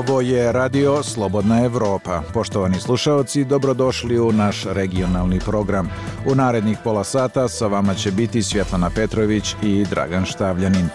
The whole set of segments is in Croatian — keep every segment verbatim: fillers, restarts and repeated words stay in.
Ovo je Radio Slobodna Evropa. Poštovani slušaoci, dobrodošli u naš regionalni program. U narednih pola sata sa vama će biti Svjetlana Petrović i Dragan Štavljanin.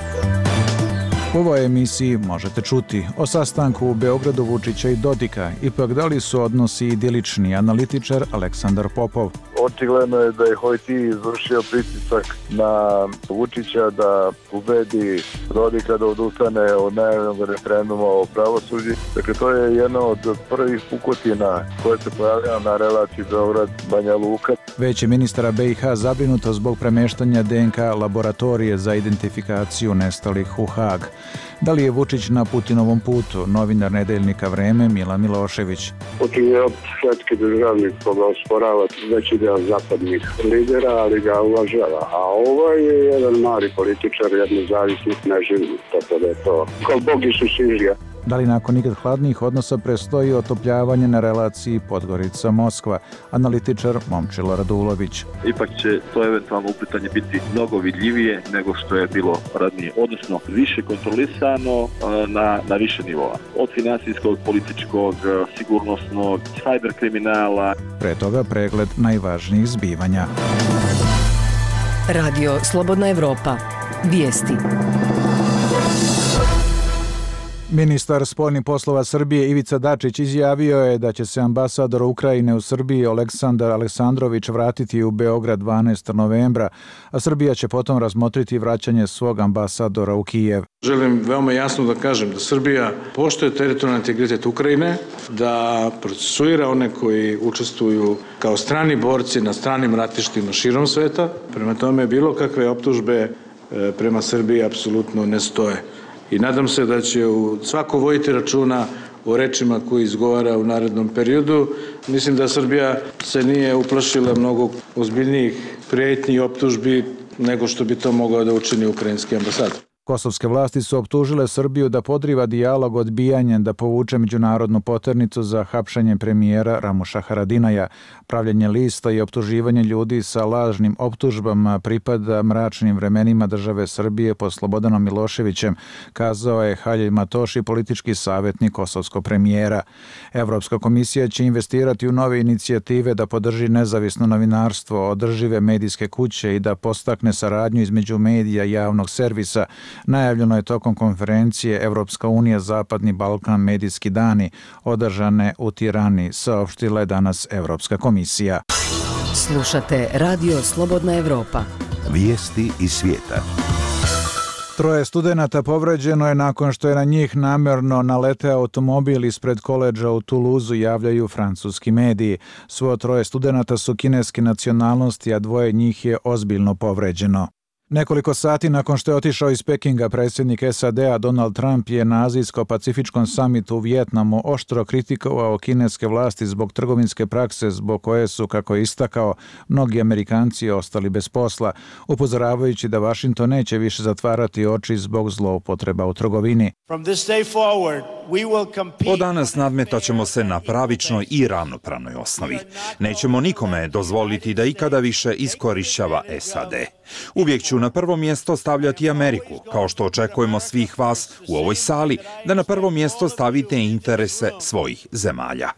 U ovoj emisiji možete čuti o sastanku u Beogradu Vučića i Dodika. Ipak da li su odnosi idilični, analitičar Aleksandar Popov. Očigledno je da je Hojti izvršio pritisak na Vučića da ubedi Dodika da odustane od najavljenog referenduma o pravosuđu. Dakle, to je jedna od prvih pukotina koje se pojavljaju na relaciji Beograd-Banja Luka. Već je ministara B i H zabrinuto zbog premeštanja D N K laboratorije za identifikaciju nestalih u Hag. Da li je Vučić na Putinovom putu? Novinar nedeljnika Vreme Milan Milošević. Putin je svetski državnik koga osporava veći deo zapadnih lidera, ali ga uvažava. A ovaj je jedan mali političar, jedan zavisnik neživnik, tako da je to kao Bog Isus Sižija. Da li nakon nikad hladnijih odnosa prestoji otopljavanje na relaciji Podgorica-Moskva? Analitičar Momčilo Radulović. Ipak će to eventualno uplitanje biti mnogo vidljivije nego što je bilo ranije, odnosno više kontrolisano na, na više nivoa. Od finansijskog, političkog, sigurnosnog, cyber kriminala. Pre toga pregled najvažnijih zbivanja. Radio Slobodna Evropa. Vijesti. Ministar spoljnih poslova Srbije Ivica Dačić izjavio je da će se ambasador Ukrajine u Srbiji Aleksandar Aleksandrović vratiti u Beograd dvanaestog novembra, a Srbija će potom razmotriti vraćanje svog ambasadora u Kijev. Želim veoma jasno da kažem da Srbija poštuje teritorijalni integritet Ukrajine, da procesuira one koji učestvuju kao strani borci na stranim ratištima širom sveta. Prema tome, bilo kakve optužbe prema Srbiji apsolutno ne stoje. I nadam se da će u svako voditi računa o rečima koje izgovara u narednom periodu. Mislim da Srbija se nije uplašila mnogo ozbiljnijih prijetnji i optužbi nego što bi to mogao da učini ukrajinski ambasador. Kosovske vlasti su optužile Srbiju da podriva dijalog odbijanjem da povuče međunarodnu poternicu za hapšenje premijera Ramuša Haradinaja. Pravljenje lista i optuživanje ljudi sa lažnim optužbama pripada mračnim vremenima države Srbije pod Slobodanom Miloševićem, kazao je Haljej Matoši, politički savjetnik kosovskog premijera. Evropska komisija će investirati u nove inicijative da podrži nezavisno novinarstvo, održive medijske kuće i da podstakne saradnju između medija i javnog servisa. Najavljeno je tokom konferencije Evropska unija Zapadni Balkan medijski dani, održane u Tirani, saopštila je danas Evropska komisija. Slušate Radio Slobodna Evropa. Vijesti iz svijeta. Troje studenata povređeno je nakon što je na njih namerno naleteo automobil ispred koledža u Tuluzu, javljaju francuski mediji. Svo troje studenata su kineske nacionalnosti, a dvoje njih je ozbiljno povređeno. Nekoliko sati nakon što je otišao iz Pekinga, predsjednik S A D-a Donald Trump je na Azijsko-pacifičkom samitu u Vijetnamu oštro kritikovao kineske vlasti zbog trgovinske prakse zbog koje su, kako je istakao, mnogi Amerikanci ostali bez posla, upozoravajući da Washington neće više zatvarati oči zbog zloupotreba u trgovini. Od danas nadmetaćemo se na pravičnoj i ravnopravnoj osnovi. Nećemo nikome dozvoliti da ikada više iskorišćava S A D. Uvijek ću na prvo mjesto stavljati Ameriku, kao što očekujemo svih vas u ovoj sali da na prvo mjesto stavite interese svojih zemalja.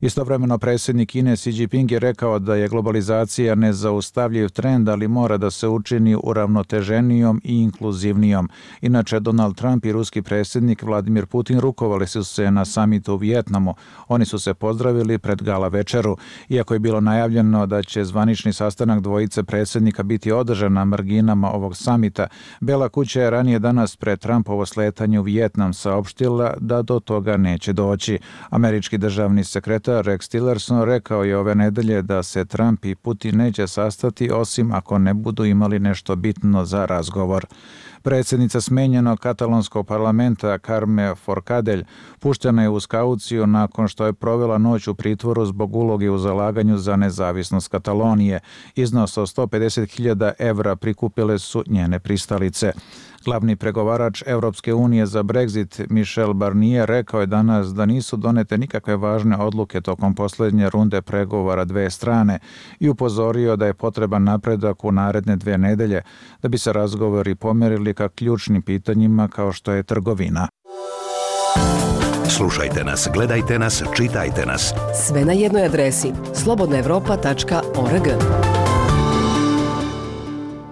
Istovremeno predsjednik Kine Xi Jinping je rekao da je globalizacija nezaustavljiv trend, ali mora da se učini uravnoteženijom i inkluzivnijom. Inače, Donald Trump i ruski predsjednik Vladimir Putin rukovali su se na samitu u Vijetnamu. Oni su se pozdravili pred gala večeru. Iako je bilo najavljeno da će zvanični sastanak dvojice predsjednika biti održan na marginama ovog samita, Bela kuća je ranije danas pred Trumpovo sletanje u Vijetnam saopštila da do toga neće doći. Američki državni sekretar Rex Tillerson rekao je ove nedelje da se Trump i Putin neće sastati osim ako ne budu imali nešto bitno za razgovor. Predsjednica smenjenog katalonskog parlamenta Carme Forcadell puštena je uz kauciju nakon što je provela noć u pritvoru zbog uloge u zalaganju za nezavisnost Katalonije. Iznos od sto pedeset hiljada evra prikupile su njene pristalice. Glavni pregovarač Evropske unije za Brexit Michel Barnier rekao je danas da nisu donete nikakve važne odluke tokom posljednje runde pregovora dve strane i upozorio da je potreban napredak u naredne dve nedelje da bi se razgovori pomerili ka ključnim pitanjima kao što je trgovina. Slušajte nas, gledajte nas, čitajte nas. Sve na jednoj adresi slobodna evropa tačka org.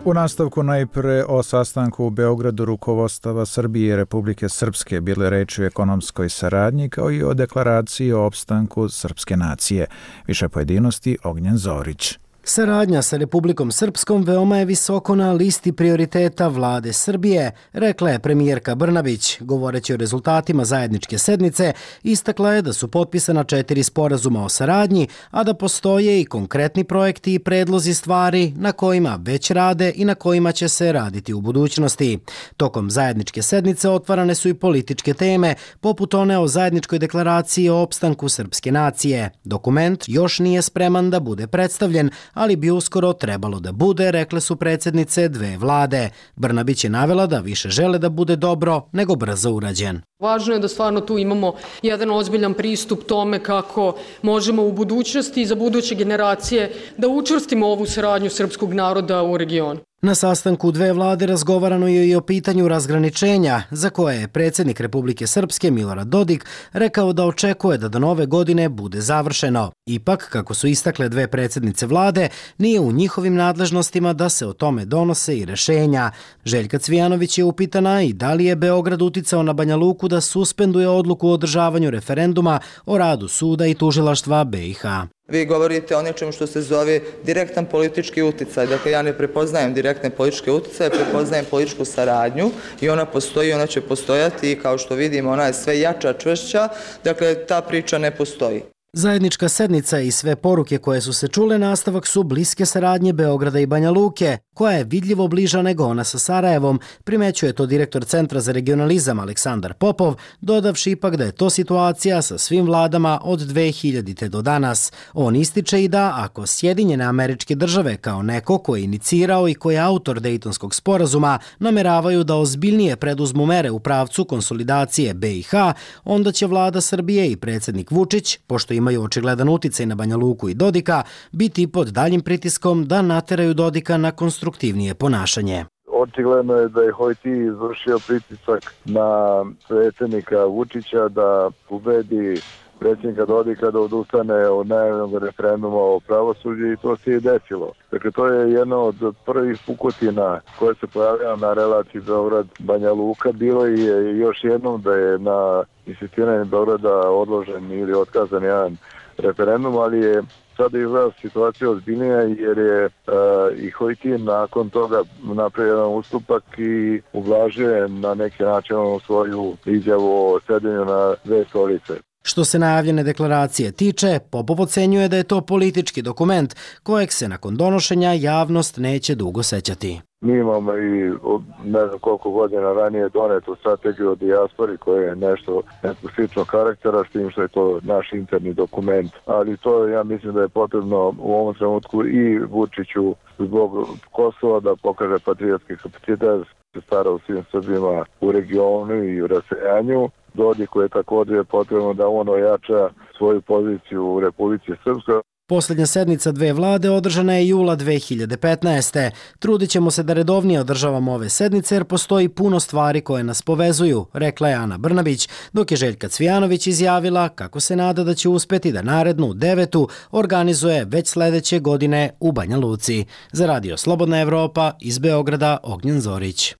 U nastavku najpre o sastanku u Beogradu rukovodstava Srbije i Republike Srpske bile reči o ekonomskoj saradnji kao i o deklaraciji o opstanku srpske nacije. Više pojedinosti Ognjen Zorić. Saradnja sa Republikom Srpskom veoma je visoko na listi prioriteta vlade Srbije, rekla je premijerka Brnabić. Govoreći o rezultatima zajedničke sednice, istakla je da su potpisana četiri sporazuma o saradnji, a da postoje i konkretni projekti i predlozi stvari na kojima već rade i na kojima će se raditi u budućnosti. Tokom zajedničke sednice otvarane su i političke teme, poput one o zajedničkoj deklaraciji o opstanku srpske nacije. Dokument još nije spreman da bude predstavljen, ali bi uskoro trebalo da bude, rekle su predsjednice dve vlade. Brnabić je navela da više žele da bude dobro nego brzo urađen. Važno je da stvarno tu imamo jedan ozbiljan pristup tome kako možemo u budućnosti i za buduće generacije da učvrstimo ovu saradnju srpskog naroda u regionu. Na sastanku dve vlade razgovarano je i o pitanju razgraničenja, za koje je predsjednik Republike Srpske Milorad Dodik rekao da očekuje da do nove godine bude završeno. Ipak, kako su istakle dve predsjednice vlade, nije u njihovim nadležnostima da se o tome donose i rešenja. Željka Cvijanović je upitana i da li je Beograd uticao na Banja Luku da suspenduje odluku o održavanju referenduma o radu suda i tužilaštva be i ha. Vi govorite o nečemu što se zove direktan politički uticaj. Dakle, ja ne prepoznajem direktne političke uticaje, prepoznajem političku saradnju i ona postoji, ona će postojati i kao što vidimo ona je sve jača, čvršća. Dakle, ta priča ne postoji. Zajednička sednica i sve poruke koje su se čule nastavak su bliske saradnje Beograda i Banja Luke, koja je vidljivo bliža nego ona sa Sarajevom, primećuje to direktor Centra za regionalizam Aleksandar Popov, dodavši ipak da je to situacija sa svim vladama od dve hiljadite do danas. On ističe i da ako Sjedinjene Američke Države kao neko ko je inicirao i ko je autor Dejtonskog sporazuma nameravaju da ozbiljnije preduzmu mere u pravcu konsolidacije be i ha, onda će vlada Srbije i predsjednik Vučić, pošto imaju očigledan uticaj na Banja Luku i Dodika, biti pod daljim pritiskom da nateraju Dodika na konstruktivnije ponašanje. Očigledno je da je Hojti izvršio pritisak na predsjednika Vučića da ubedi predsjednika Dodika da odustane od najavljenog referenduma o pravosuđu i to se je desilo. Dakle, to je jedna od prvih pukotina koje se pojavljaju na relaciji Beograd-Banja Luka. Bilo je još jednom da je na insistiranje Beograda odložen ili otkazan jedan referendum, ali je sada izgleda situacija ozbiljnija jer je uh, i Hojti nakon toga napravio jedan ustupak i ublažuje na neki način svoju izjavu o sedenju na dve stolice. Što se najavljene deklaracije tiče, Popov ocenjuje da je to politički dokument kojeg se nakon donošenja javnost neće dugo sećati. Mi imamo i ne znam koliko godina ranije donetu strategiju o dijaspori koja je nešto nekog sličnog karaktera, s tim što je to naš interni dokument. Ali to ja mislim da je potrebno u ovom trenutku i Vučiću zbog Kosova da pokaže patriotski kapacitet, se stara o svim Srbima u regionu i u raseljanju. Dodiku je također potrebno da on ojača svoju poziciju u Republici Srpskoj. Posljednja sednica dve vlade održana je jula dve hiljade petnaeste. Trudit ćemo se da redovnije održavamo ove sednice jer postoji puno stvari koje nas povezuju, rekla je Ana Brnabić, dok je Željka Cvijanović izjavila kako se nada da će uspjeti da narednu devetu organizuje već sljedeće godine u Banja Luci. Za Radio Slobodna Evropa iz Beograda Ognjen Zorić.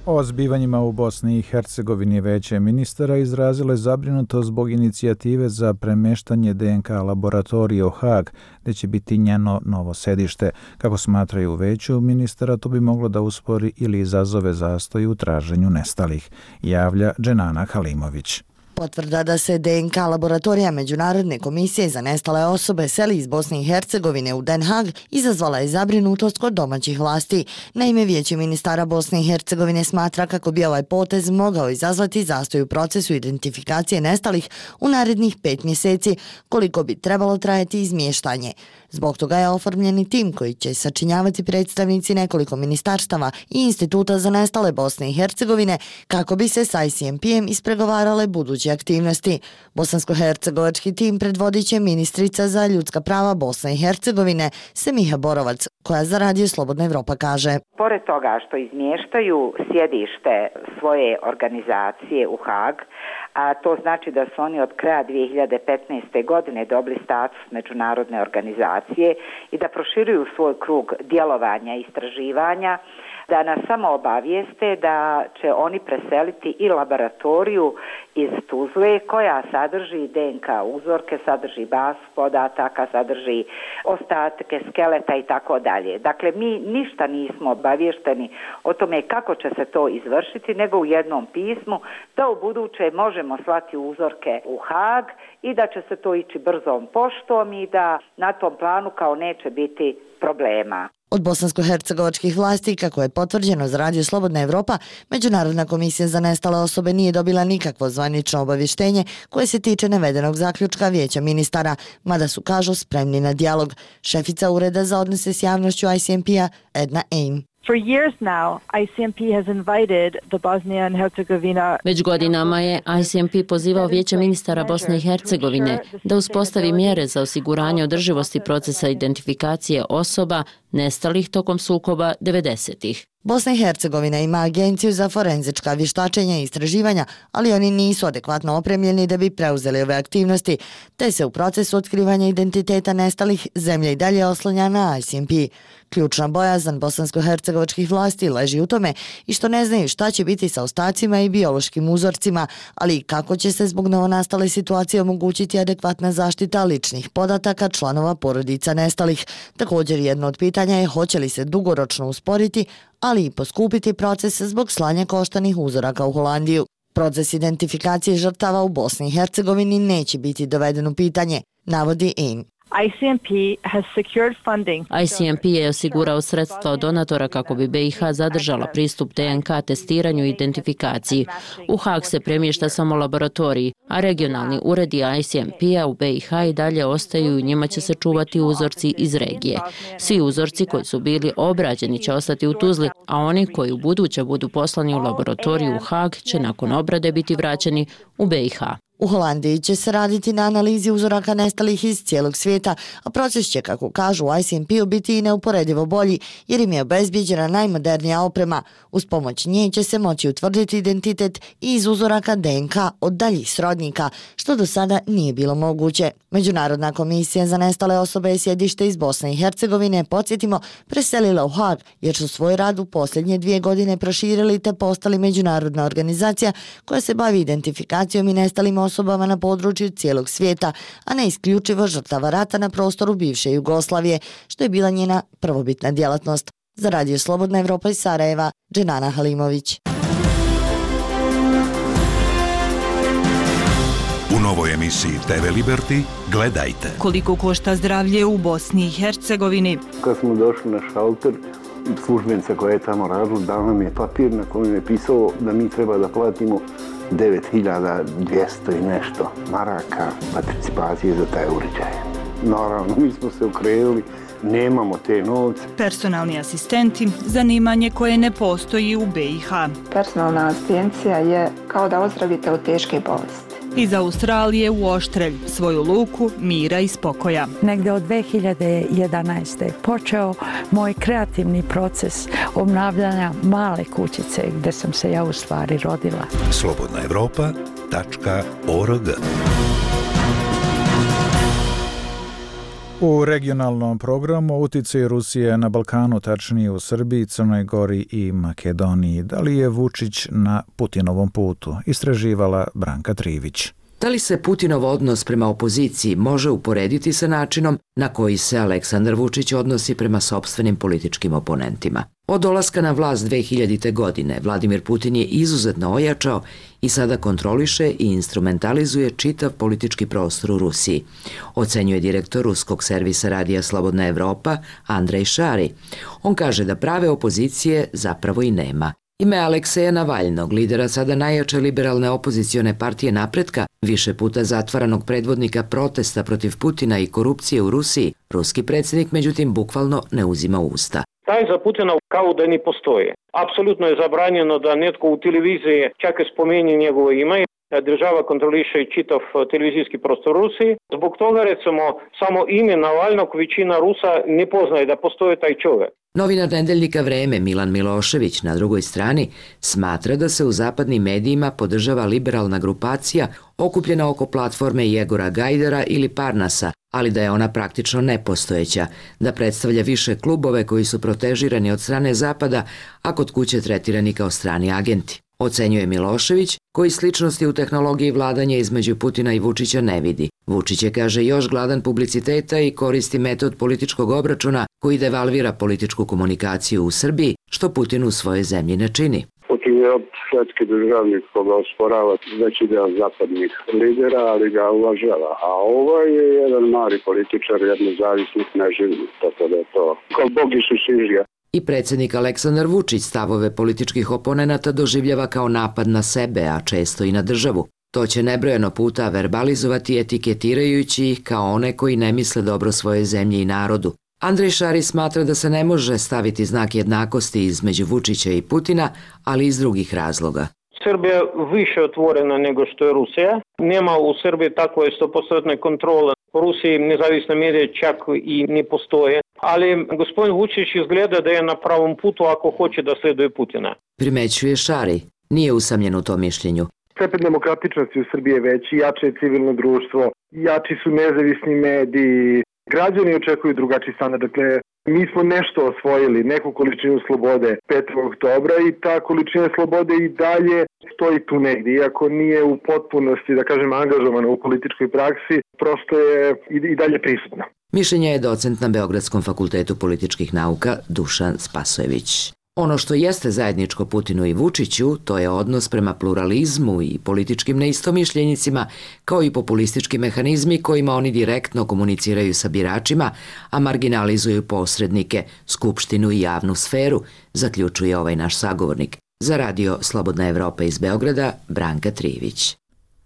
O zbivanjima u Bosni i Hercegovini veće ministara izrazilo je zabrinutost zbog inicijative za premeštanje de en ka laboratorije u Hag, gdje će biti njeno novo sedište. Kako smatraju u veću ministara, to bi moglo da uspori ili izazove zastoj u traženju nestalih, javlja Dženana Halimović. Potvrda da se de en ka laboratorija Međunarodne komisije za nestale osobe seli iz Bosne i Hercegovine u Den Haag izazvala je zabrinutost kod domaćih vlasti. Naime, Vijeće ministara Bosne i Hercegovine smatra kako bi ovaj potez mogao izazvati zastoj u procesu identifikacije nestalih u narednih pet mjeseci, koliko bi trebalo trajati izmještanje. Zbog toga je oformljeni tim koji će sačinjavati predstavnici nekoliko ministarstava i Instituta za nestale Bosne i Hercegovine kako bi se sa i si em pe-em ispregovarale buduće aktivnosti. Bosansko-hercegovački tim predvodit će ministrica za ljudska prava Bosne i Hercegovine Semiha Borovac, koja za Radio Slobodna Evropa kaže. Pored toga što izmještaju sjedište svoje organizacije u Hag, a to znači da su oni od kraja dvije hiljade petnaeste. godine dobili status međunarodne organizacije i da proširuju svoj krug djelovanja i istraživanja, da nas samo obavijeste da će oni preseliti i laboratoriju iz Tuzle koja sadrži D N K uzorke, sadrži bazu podataka, sadrži ostatke skeleta i tako dalje. Dakle, mi ništa nismo obavješteni o tome kako će se to izvršiti, nego u jednom pismu da u buduće možemo slati uzorke u Hag i da će se to ići brzom poštom i da na tom planu kao neće biti problema. Od bosansko-hercegovačkih vlasti, kako je potvrđeno za Radio Slobodna Evropa, Međunarodna komisija za nestale osobe nije dobila nikakvo zvanično obavještenje koje se tiče navedenog zaključka Vijeća ministara, mada su, kažu, spremni na dijalog. Šefica Ureda za odnose s javnošću I C M P-a Edna Aim. For years now, I C M P has invited the Bosnia and Herzegovina. Već godinama je I C M P pozivao Vijeće ministara Bosne i Hercegovine da uspostavi mjere za osiguranje održivosti procesa identifikacije osoba nestalih tokom sukoba devedesetih. Bosna i Hercegovina ima agenciju za forenzička vještačenja i istraživanja, ali oni nisu adekvatno opremljeni da bi preuzeli ove aktivnosti, te se u procesu otkrivanja identiteta nestalih zemlja i dalje oslanja na I C M P. Ključna bojazan bosansko-hercegovačkih vlasti leži u tome i što ne znaju šta će biti sa ostacima i biološkim uzorcima, ali i kako će se zbog novonastale situacije omogućiti adekvatna zaštita ličnih podataka članova porodica nestalih. Također jedno od pitanja je hoće li se dugoročno usporiti, ali i poskupiti proces zbog slanja koštanih uzoraka u Holandiju. Proces identifikacije žrtava u Bosni i Hercegovini neće biti doveden u pitanje, navodi Ain. I C M P has secured funding. I C M P je osigurao sredstva od donatora kako bi B i H zadržala pristup D N K testiranju i identifikaciji. U Hag se premješta samo laboratoriji, a regionalni uredi I C M P-a u B i H i dalje ostaju i njima će se čuvati uzorci iz regije. Svi uzorci koji su bili obrađeni će ostati u Tuzli, a oni koji u buduće budu poslani u laboratoriju u Hag će nakon obrade biti vraćeni u B i H. U Holandiji će se raditi na analizi uzoraka nestalih iz cijelog svijeta, a proces će, kako kažu u I C M P-u, biti i neuporedivo bolji jer im je obezbijeđena najmodernija oprema. Uz pomoć nje će se moći utvrditi identitet i iz uzoraka D N K od daljih srodnika, što do sada nije bilo moguće. Međunarodna komisija za nestale osobe je sjedište iz Bosne i Hercegovine, podsjetimo, preselila u Hag jer su svoj rad u posljednje dvije godine proširili te postali međunarodna organizacija koja se bavi identifikacijom i nestalim osobama na području cijelog svijeta, a ne isključivo žrtava rata na prostoru bivše Jugoslavije, što je bila njena prvobitna djelatnost. Za Radio Slobodna Evropa iz Sarajeva, Dženana Halimović. U novoj emisiji T V Liberty gledajte. Koliko košta zdravlje u Bosni i Hercegovini? Kad smo došli na šalter, službenica koja je tamo radila dala nam je papir na kojem je pisao da mi treba da platimo devet hiljada dvjesto i nešto maraka participacije za taj uređaj. Naravno, mi smo se okrenuli, nemamo te novce. Personalni asistenti, zanimanje koje ne postoji u B i H. Personalna asistencija je kao da ozdravite od teške bolesti. Iz Australije u Oštrelj, svoju luku mira i spokoja. Negde od dve hiljade jedanaeste. počeo moj kreativni proces obnavljanja male kućice gdje sam se ja u stvari rodila. slobodna evropa tačka org. U regionalnom programu uticaj Rusije na Balkanu, tačnije u Srbiji, Crnoj Gori i Makedoniji. Da li je Vučić na Putinovom putu? Istraživala Branka Trivić. Da li se Putinov odnos prema opoziciji može uporediti sa načinom na koji se Aleksandar Vučić odnosi prema sopstvenim političkim oponentima? Od dolaska na vlast dve hiljadite. godine Vladimir Putin je izuzetno ojačao i sada kontroliše i instrumentalizuje čitav politički prostor u Rusiji, ocenjuje direktor ruskog servisa Radija Slobodna Evropa Andrej Šari. On kaže da prave opozicije zapravo i nema. Ime Alekseja Navalnog, lidera sada najjače liberalne opozicione partije Napretka, više puta zatvaranog predvodnika protesta protiv Putina i korupcije u Rusiji, ruski predsjednik međutim bukvalno ne uzima u usta. taj za Putina kao da ne postoji. Apsolutno je zabranjeno da netko u televiziji čak i spomeni njegovo ime. Država kontroliše čitav televizijski prostor Rusiji. Zbog toga, recimo, samo ime Navalnog većina Rusa ne poznaje da postoji taj čovjek. Novinar nedeljnika Vreme Milan Milošević na drugoj strani smatra da se u zapadnim medijima podržava liberalna grupacija okupljena oko platforme Jegora Gajdara ili Parnasa, ali da je ona praktično nepostojeća, da predstavlja više klubove koji su protežirani od strane Zapada, a kod kuće tretirani kao strani agenti. Ocenjuje Milošević, koji sličnosti u tehnologiji vladanja između Putina i Vučića ne vidi. Vučić je, kaže, još gladan publiciteta i koristi metod političkog obračuna koji devalvira političku komunikaciju u Srbiji, što Putin u svojoj zemlji ne čini. Putin je svetski državnik koga osporava veći deo zapadnih lidera, ali ga uvažava. A ovaj je jedan mali političar, jedan zavisnik neživni, tako da je to kao Bog Isus Ižija. I predsjednik Aleksandar Vučić stavove političkih oponenata doživljava kao napad na sebe, a često i na državu. To će nebrojeno puta verbalizovati etiketirajući ih kao one koji ne misle dobro svoje zemlji i narodu. Andrej Šarić smatra da se ne može staviti znak jednakosti između Vučića i Putina, ali iz drugih razloga. Srbija je više otvorena nego što je Rusija. Nema u Srbiji takve sto posto kontrole. U Rusiji nezavisne medije čak i ne postoje. Ali gospodin Vučić izgleda da je na pravom putu ako hoće da sleduje Putina. Primećuje Šari. Nije usamljen u tom mišljenju. Stepen demokratičnosti u Srbiji je veći, jače je civilno društvo, jači su nezavisni mediji, građani očekuju drugačiji standard. Dakle, mi smo nešto osvojili, neku količinu slobode petog oktobra i ta količina slobode i dalje stoji tu negdje. Iako nije u potpunosti, da kažem, angažovana u političkoj praksi, prosto je i dalje prisutna. Mišljenje je docent na Beogradskom fakultetu političkih nauka Dušan Spasojević. Ono što jeste zajedničko Putinu i Vučiću, to je odnos prema pluralizmu i političkim neistomišljenicima, kao i populistički mehanizmi kojima oni direktno komuniciraju sa biračima, a marginalizuju posrednike, skupštinu i javnu sferu, zaključuje ovaj naš sagovornik. Za radio Slobodna Evropa iz Beograda, Branka Trivić.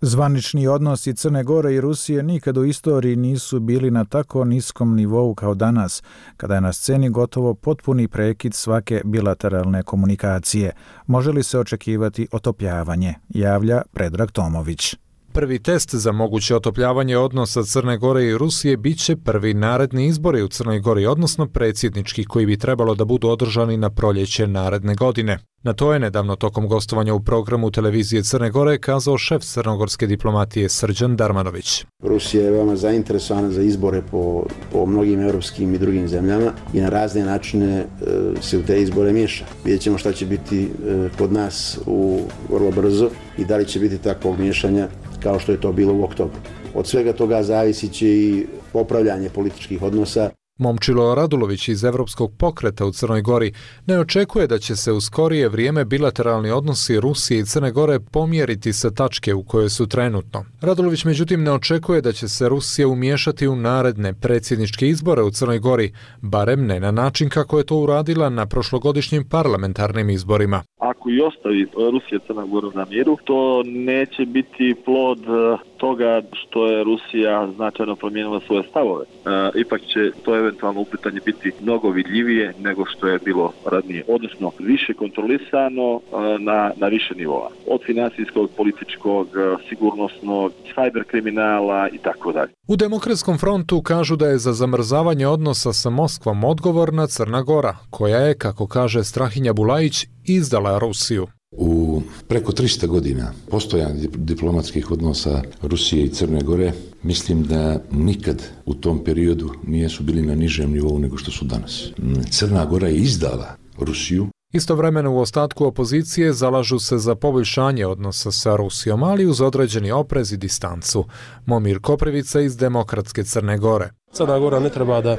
Zvanični odnosi Crne Gore i Rusije nikad u istoriji nisu bili na tako niskom nivou kao danas, kada je na sceni gotovo potpuni prekid svake bilateralne komunikacije. Može li se očekivati otopljavanje, javlja Predrag Tomović. Prvi test za moguće otopljavanje odnosa Crne Gore i Rusije biće prvi naredni izbori u Crnoj Gori, odnosno predsjednički, koji bi trebalo da budu održani na proljeće naredne godine. Na to je nedavno tokom gostovanja u programu televizije Crne Gore kazao šef crnogorske diplomatije Srđan Darmanović. Rusija je veoma zainteresovana za izbore po, po mnogim evropskim i drugim zemljama i na razne načine e, se u te izbore miješa. Vidjet ćemo šta će biti e, kod nas u vrlo brzo i da li će biti takvog miješanja kao što je to bilo u oktobru. Od svega toga zavisit će i popravljanje političkih odnosa. Momčilo Radulović iz Evropskog pokreta u Crnoj Gori ne očekuje da će se u skorije vrijeme bilateralni odnosi Rusije i Crne Gore pomjeriti sa tačke u kojoj su trenutno. Radulović međutim ne očekuje da će se Rusija umiješati u naredne predsjedničke izbore u Crnoj Gori, barem ne na način kako je to uradila na prošlogodišnjim parlamentarnim izborima. Ako i ostavi Rusija Crna Gora na miru, to neće biti plod toga što je Rusija značajno promijenila svoje stavove. E, ipak će to eventualno upletanje biti mnogo vidljivije nego što je bilo ranije, odnosno više kontrolisano na, na više nivoa. Od finansijskog, političkog, sigurnosnog, cyber kriminala i tako dalje. U Demokratskom frontu kažu da je za zamrzavanje odnosa sa Moskvom odgovorna Crna Gora, koja je, kako kaže Strahinja Bulajić, izdala Rusiju. U preko tristo godina postojanja diplomatskih odnosa Rusije i Crne Gore, mislim da nikad u tom periodu nisu bili na nižem nivou nego što su danas. Crna Gora je izdala Rusiju. Istovremeno u ostatku opozicije zalažu se za poboljšanje odnosa sa Rusijom, ali uz određeni oprez i distancu. Momir Koprivica iz Demokratske Crne Gore. Crna Gora ne treba da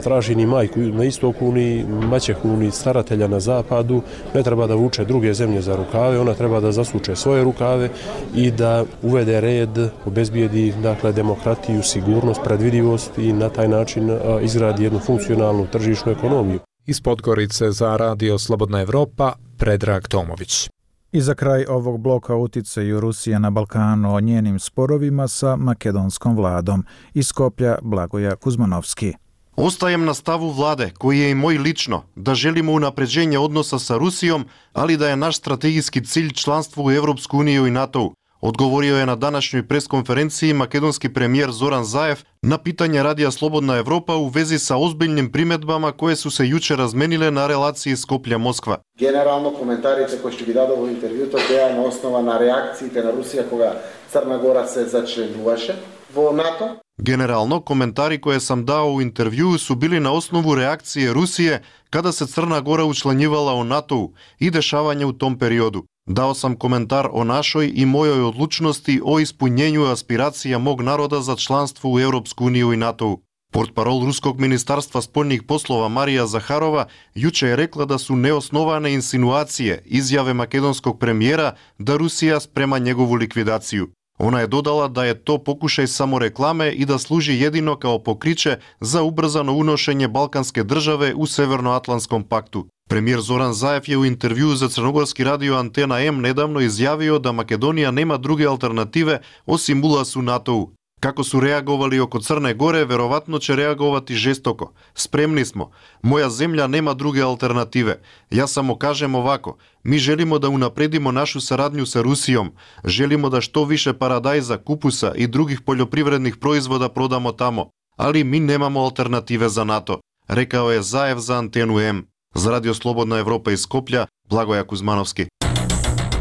traži ni majku na istoku, ni maćehu, ni staratelja na zapadu, ne treba da vuče druge zemlje za rukave, ona treba da zasuče svoje rukave i da uvede red, obezbijedi dakle, demokratiju, sigurnost, predvidivost i na taj način izgradi jednu funkcionalnu tržišnu ekonomiju. Iz Podgorice za radio Slobodna Evropa, Predrag Tomović. I za kraj ovog bloka uticaju Rusije na Balkanu o njenim sporovima sa makedonskom vladom. Iz Skoplja Blagoja Kuzmanovski. Ostajem na stavu vlade, koji je i moj lično, da želimo unapređenje odnosa sa Rusijom, ali da je naš strategijski cilj članstvo u Evropsku uniju i NATO. Odgovorio je na današnjoj preskonferenciji makedonski premijer Zoran Zaev na pitanje Radija Slobodna Evropa u vezi sa ozbiljnim primedbama koje su se juče razmenile na relaciji Skoplja-Moskva. Generalno komentarите koje ще ги дадо во интервјуто беа на основа на реакциите на Русија кога Црна Гора се зачленуваше во НАТО. Generalno, komentari koje sam dao u intervjuu su bili na osnovu reakcije Rusije kada se Crna Gora učlanjivala u NATO i dešavanje u tom periodu. Dao sam komentar o našoj i mojoj odlučnosti o ispunjenju aspiracija mog naroda za članstvo u Europsku uniju i NATO. Portparol Ruskog ministarstva spoljnih poslova Marija Zaharova juče je rekla da su neosnovane insinuacije izjave makedonskog premijera da Rusija sprema njegovu likvidaciju. Ona je dodala da je to pokušaj samoreklame i da služi jedino kao pokriće za ubrzano unošenje balkanske države u Severnoatlantskom paktu. Premijer Zoran Zaev je u intervjuu za crnogorski radio Antena M nedavno izjavio da Makedonija nema druge alternative osim ulaz u NATO. Kako su reagovali oko Crne Gore, verovatno će reagovati žestoko. Spremni smo. Moja zemlja nema druge alternative. Ja samo kažem ovako, mi želimo da unapredimo našu saradnju sa Rusijom. Želimo da što više paradajza, kupusa i drugih poljoprivrednih proizvoda prodamo tamo. Ali mi nemamo alternative za NATO, rekao je Zaev za Antenu M. Za Radio Slobodna Evropa iz Skoplja, Blagoja Kuzmanovski.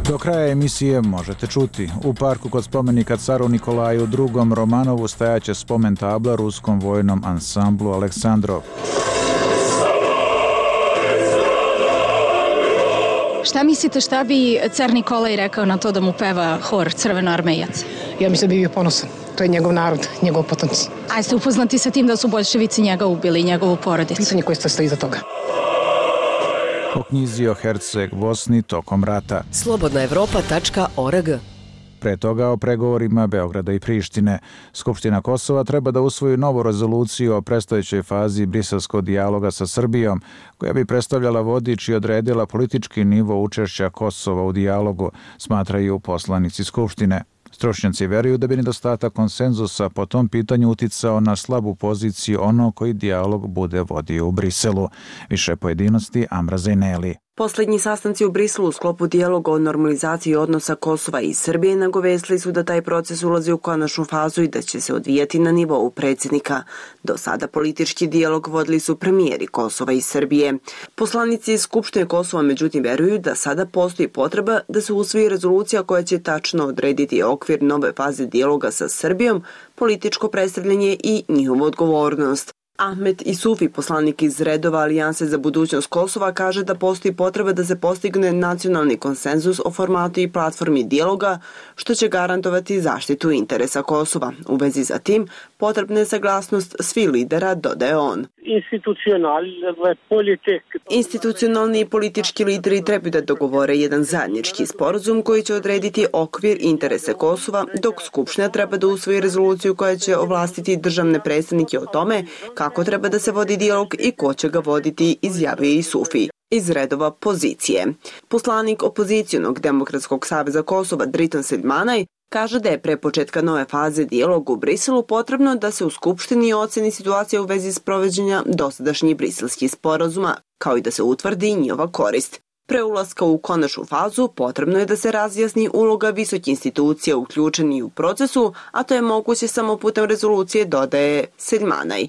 Do kraja emisije možete čuti. U parku kod spomenika caru Nikolaju drugom Romanovu stajaće spomen tabla ruskom vojnom ansamblu Aleksandrov. Šta mislite šta bi car Nikolaj rekao na to da mu peva hor Crvenoarmejac? Ja mislim da bi bio ponosan. To je njegov narod, njegov potomci. A jeste upoznati sa tim da su boljševici njega ubili i njegovu porodicu? Pitanje koje stoji iza toga. O knjizi o Herceg Bosni tokom rata. slobodna evropa tačka org. Pre toga o pregovorima Beograda i Prištine. Skupština Kosova treba da usvoji novu rezoluciju o predstojećoj fazi briselskog dijaloga sa Srbijom, koja bi predstavljala vodič i odredila politički nivo učešća Kosova u dijalogu, smatraju poslanici Skupštine. Stručnjaci veruju da bi nedostatak konsenzusa po tom pitanju uticao na slabu poziciju ono koji dijalog bude vodio u Briselu. Više pojedinosti Amra Zajneli. Poslednji sastanci u Briselu u sklopu dijaloga o normalizaciji odnosa Kosova i Srbije nagovestili su da taj proces ulazi u konačnu fazu i da će se odvijati na nivou predsjednika. Do sada politički dijalog vodili su premijeri Kosova i Srbije. Poslanici Skupštine Kosova međutim veruju da sada postoji potreba da se usvoji rezolucija koja će tačno odrediti okvir nove faze dijaloga sa Srbijom, političko predstavljanje i njihovu odgovornost. Ahmet Isufi, poslanik iz redova Alijanse za budućnost Kosova, kaže da postoji potreba da se postigne nacionalni konsenzus o formatu i platformi dijaloga, što će garantovati zaštitu interesa Kosova. U vezi za tim, potrebna je saglasnost svih lidera, dodaje on. Institucionalni i politički lideri trebaju da dogovore jedan zajednički sporazum koji će odrediti okvir interese Kosova, dok Skupština treba da usvoji rezoluciju koja će ovlastiti državne predstavnike o tome kako treba da se vodi dijalog i ko će ga voditi, izjavio je Isufi iz redova pozicije. Poslanik opozicijonog Demokratskog saveza Kosova Dritan Selmanaj kaže da je pre početka nove faze dijaloga u Briselu potrebno da se u Skupštini oceni situacija u vezi sprovođenja dosadašnjih briselskih sporazuma, kao i da se utvrdi njihova korist. Pre ulaska u konačnu fazu potrebno je da se razjasni uloga visokih institucija uključeni u procesu, a to je moguće samo putem rezolucije, dodaje Selmanaj.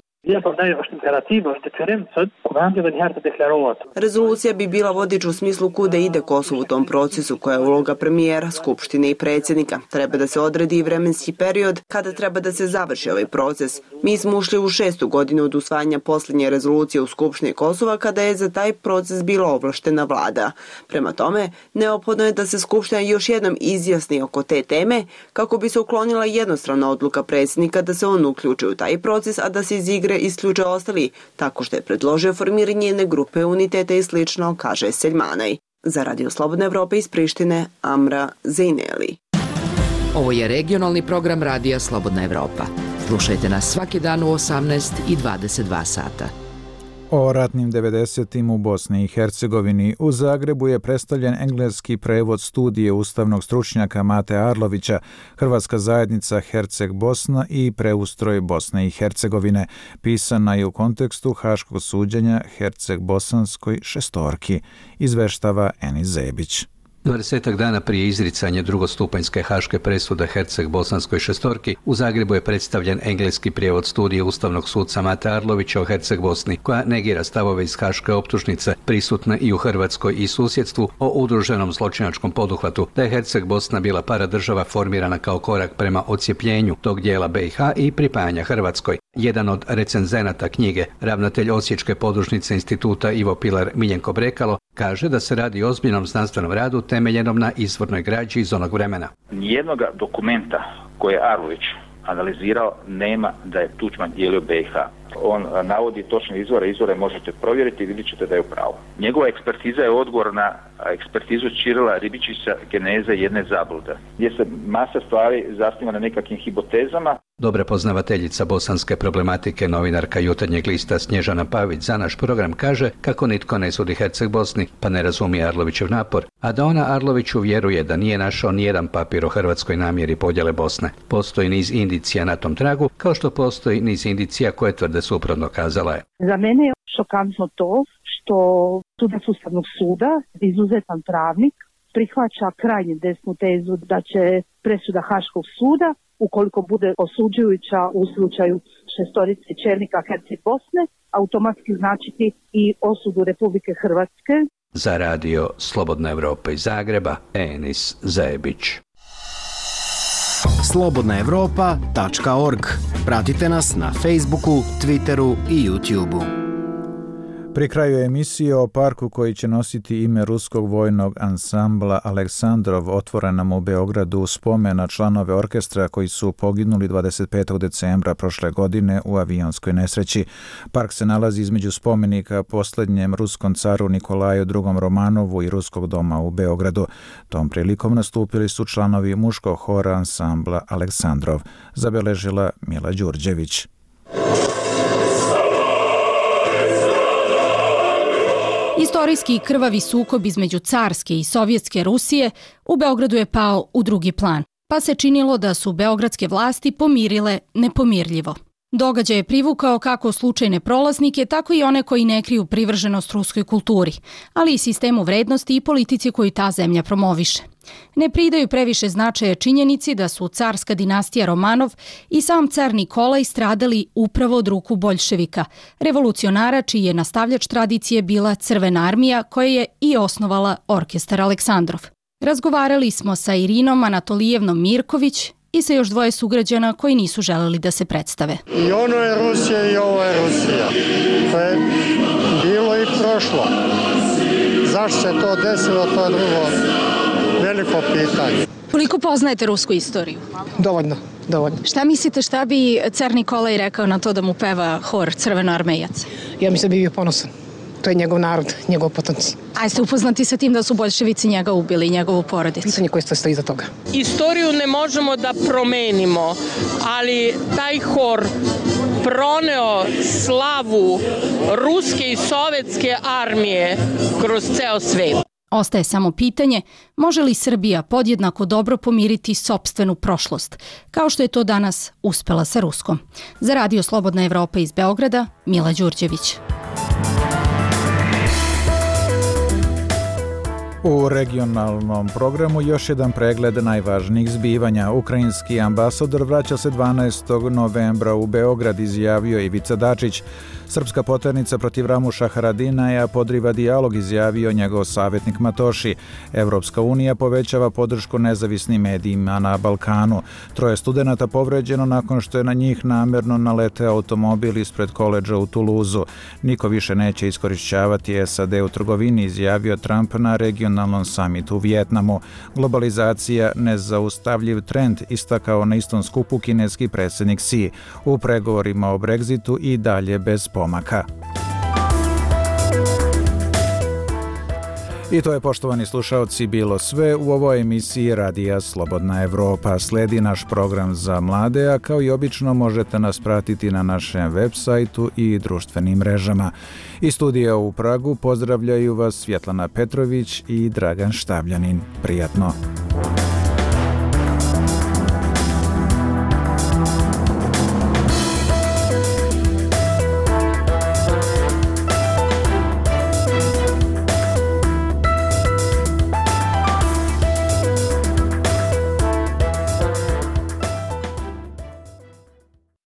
Rezolucija bi bila vodič u smislu kuda ide Kosovo u tom procesu, koja je uloga premijera, Skupštine i predsjednika. Treba da se odredi i vremenski period kada treba da se završi ovaj proces. Mi smo ušli u šestu godinu od usvajanja posljednje rezolucije u Skupštini Kosova kada je za taj proces bila ovlaštena vlada. Prema tome, neophodno je da se Skupština još jednom izjasni oko te teme kako bi se uklonila jednostrana odluka predsjednika da se on uključi u taj proces, a da se iz igre isključe ostali, tako što je predložio formiranje jedne grupe uniteta i slično, kaže Selmanaj. Za Radio Slobodna Evropa iz Prištine, Amra Zajneli. Ovo je regionalni program Radija Slobodna Evropa. Slušajte nas svaki dan u osamnaest i dvadeset dva sata. O ratnim devedesetim u Bosni i Hercegovini. U Zagrebu je predstavljen engleski prevod studije ustavnog stručnjaka Mate Arlovića, Hrvatska zajednica Herceg Bosna i preustroj Bosne i Hercegovine. Pisana je u kontekstu haškog suđenja Herceg Bosanskoj šestorki, izveštava Enis Zebić. Dvadesetak dana prije izricanja drugostupanjske haške presude Herceg Bosanskoj šestorki, u Zagrebu je predstavljen engleski prijevod studije ustavnog suca Mate Arlovića o Herceg Bosni, koja negira stavove iz haške optužnice, prisutne i u Hrvatskoj i susjedstvu, o udruženom zločinačkom poduhvatu, da je Herceg Bosna bila paradržava formirana kao korak prema odcijepljenju tog dijela B i H i pripajanja Hrvatskoj. Jedan od recenzenata knjige, ravnatelj Osječke podružnice instituta Ivo Pilar Miljenko Brekalo, kaže da se radi o ozbiljnom znanstvenom radu temeljenom na izvornoj građi iz onog vremena. Nijednog dokumenta koje je Arlović analizirao nema da je Tuđman dijelio B i H. On navodi točne izvore, izvore možete provjeriti i vidjet ćete da je u pravu. Njegova ekspertiza je odgovor na ekspertizu Čirila Ribičića geneze jedne zablude, gdje se masa stvari zasniva na nekakvim hipotezama. Dobra poznavateljica bosanske problematike, novinarka Jutarnjeg lista Snježana Pavić za naš program kaže kako nitko ne sudi Herceg Bosni, pa ne razumije Arlovićev napor, a da ona Arloviću vjeruje da nije našao nijedan papir o hrvatskoj namjeri podjele Bosne. Postoji niz indicija na tom tragu, kao što postoji niz indicija koje tvrde suprotno, kazala je. Za mene je šokantno to što sudac Ustavnog suda, izuzetan pravnik, prihvaća krajnje desnu tezu da će presuda Haškog suda, ukoliko bude osuđujuća u slučaju šestorice čelnika Herceg Bosne, automatski značiti i osudu Republike Hrvatske. Za radio Slobodna Evropa iz Zagreba, Enis Zebić. slobodna evropa tačka org. Pratite nas na Facebooku, Twitteru i YouTubeu. Pri kraju emisije o parku koji će nositi ime ruskog vojnog ansambla Aleksandrov, otvorenom u Beogradu u spomen na članove orkestra koji su poginuli dvadeset petog decembra prošle godine u avionskoj nesreći. Park se nalazi između spomenika posljednjem ruskom caru Nikolaju drugom Romanovu i Ruskog doma u Beogradu. Tom prilikom nastupili su članovi muškog hora ansambla Aleksandrov, zabeležila Mila Đurđević. Istorijski krvavi sukob između carske i sovjetske Rusije u Beogradu je pao u drugi plan, pa se činilo da su beogradske vlasti pomirile nepomirljivo. Događaj je privukao kako slučajne prolaznike, tako i one koji ne kriju privrženost ruskoj kulturi, ali i sistemu vrednosti i politici koju ta zemlja promoviše. Ne pridaju previše značaja činjenici da su carska dinastija Romanov i sam car Nikolaj stradali upravo od ruku boljševika, revolucionara čiji je nastavljač tradicije bila Crvena armija koja je i osnovala orkestar Aleksandrov. Razgovarali smo sa Irinom Anatolijevnom Mirković i sa još dvoje sugrađana koji nisu želeli da se predstave. I ono je Rusija i ovo je Rusija. To je bilo i prošlo. Zašto se to desilo, to je drugo veliko pitanje. Koliko poznajete rusku istoriju? Dovoljno, dovoljno. Šta mislite šta bi car Nikolaj rekao na to da mu peva hor crvenoarmejaca? Ja mislim da bi bio ponosan. To je njegov narod, njegov potomci. A jeste upoznati sa tim da su boljševici njega ubili i njegovu porodicu? Pitanje koje stoji iza toga. Istoriju ne možemo da promenimo, ali taj hor proneo slavu ruske i sovjetske armije kroz ceo svet. Ostaje samo pitanje, može li Srbija podjednako dobro pomiriti sopstvenu prošlost, kao što je to danas uspela sa Ruskom. Za radio Slobodna Evropa iz Beograda, Mila Đurđević. U regionalnom programu još jedan pregled najvažnijih zbivanja. Ukrajinski ambasador vraća se dvanaestog novembra u Beograd, izjavio Ivica Dačić. Srpska poternica protiv Ramuša Haradinaja podriva dijalog, izjavio njegov savjetnik Matoši. Evropska unija povećava podršku nezavisnim medijima na Balkanu. Troje studenata povređeno nakon što je na njih namerno naleteo automobil ispred koledža u Tuluzu. Niko više neće iskorišćavati S A D u trgovini, izjavio Trump na regionalnom samitu u Vijetnamu. Globalizacija nezaustavljiv trend, istakao na istom skupu kineski predsjednik Xi. U pregovorima o Brexitu i dalje bez pomaka. I to je, poštovani slušaoci, bilo sve u ovoj emisiji Radija Slobodna Evropa. Sledi naš program za mlade, a kao i obično možete nas pratiti na našem web sajtu i društvenim mrežama. Iz studija u Pragu pozdravljaju vas Svjetlana Petrović i Dragan Štavljanin. Prijatno!